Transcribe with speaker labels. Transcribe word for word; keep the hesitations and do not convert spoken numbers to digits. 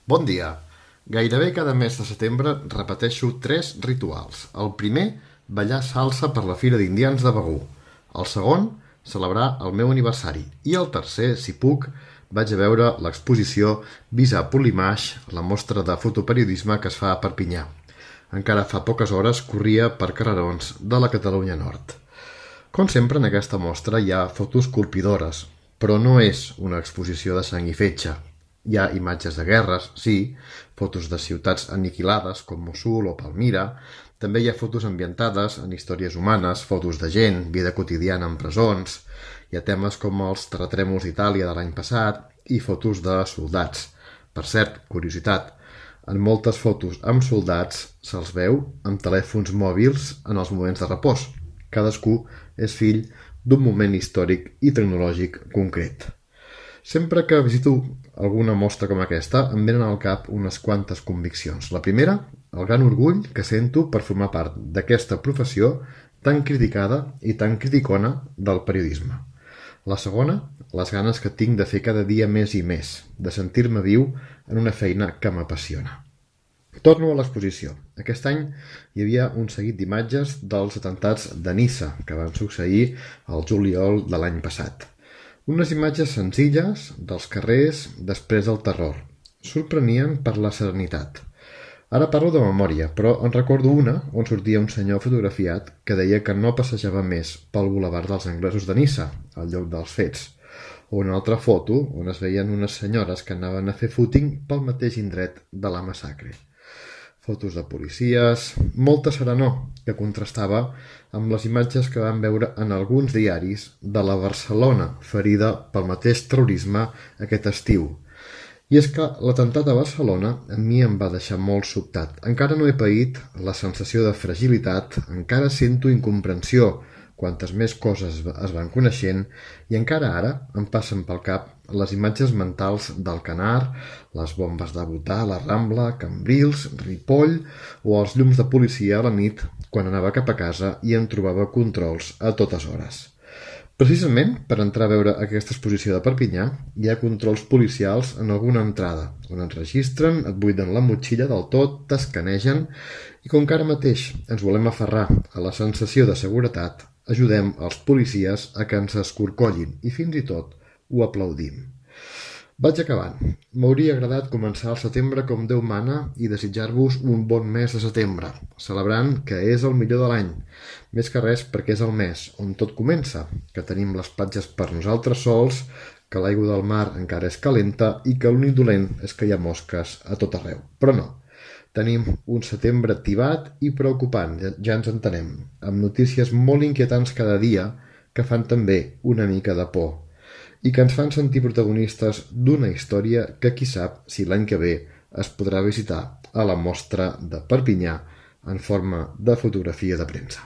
Speaker 1: Bon dia. Gairebé cada mes de setembre repeteixo tres rituals. El primer, ballar salsa per la Fira d'Indians de Begur. El segon, celebrar el meu aniversari. I el tercer, si puc, vaig a veure l'exposició Visa Polimaix, la mostra de fotoperiodisme que es fa a Perpinyà. Encara fa poques hores corria per carrerons de la Catalunya Nord. Com sempre, en aquesta mostra hi ha fotos colpidores, però no és una exposició de sang i fetge. Hi ha imatges de guerres, sí, fotos de ciutats aniquilades com Mossul o Palmira, també hi ha fotos ambientades en històries humanes, fotos de gent, vida quotidiana en presons, hi ha temes com els terratrèmols d'Itàlia de l'any passat i fotos de soldats. Per cert, curiositat, en moltes fotos amb soldats se'ls veu amb telèfons mòbils en els moments de repòs. Cadascú és fill d'un moment històric i tecnològic concret. Sempre que visito alguna mostra com aquesta, em venen al cap unes quantes conviccions. La primera, el gran orgull que sento per formar part d'aquesta professió tan criticada i tan criticona del periodisme. La segona, les ganes que tinc de fer cada dia més i més, de sentir-me viu en una feina que m'apassiona. Torno a l'exposició. Aquest any hi havia un seguit d'imatges dels atemptats de Niça, que van succeir al juliol de l'any passat. Unes imatges senzilles dels carrers després del terror. Sorprenien per la serenitat. Ara parlo de memòria, però en recordo una on sortia un senyor fotografiat que deia que no passejava més pel bulevard dels anglesos de Niça, al lloc dels fets, o una altra foto on es veien unes senyores que anaven a fer footing pel mateix indret de la massacre. Fotos de policies, molta serenor, que contrastava amb les imatges que vam veure en alguns diaris de la Barcelona ferida pel mateix terrorisme aquest estiu. I és que l'atemptat a Barcelona a mi em va deixar molt sobtat. Encara no he paït la sensació de fragilitat, encara sento incomprensió quantes més coses es van coneixent i encara ara em passen pel cap les imatges mentals del Canar, les bombes de Botà, la Rambla, Cambrils, Ripoll o els llums de policia a la nit quan anava cap a casa i em trobava controls a totes hores. Precisament per entrar a veure aquesta exposició de Perpinyà hi ha controls policials en alguna entrada, on et registren, et buiden la motxilla del tot, t'escanegen i com que ara mateix ens volem aferrar a la sensació de seguretat, ajudem els policies a que ens escorcollin i fins i tot ho aplaudim. Vaig acabant. M'hauria agradat començar el setembre com Déu mana i desitjar-vos un bon mes de setembre, celebrant que és el millor de l'any, més que res perquè és el mes on tot comença, que tenim les platges per nosaltres sols, que l'aigua del mar encara és calenta i que l'únic dolent és que hi ha mosques a tot arreu. Però no, tenim un setembre activat i preocupant, ja ens entenem, amb notícies molt inquietants cada dia que fan també una mica de por i que ens fan sentir protagonistes d'una història que qui sap si l'any que ve es podrà visitar a la mostra de Perpinyà en forma de fotografia de premsa.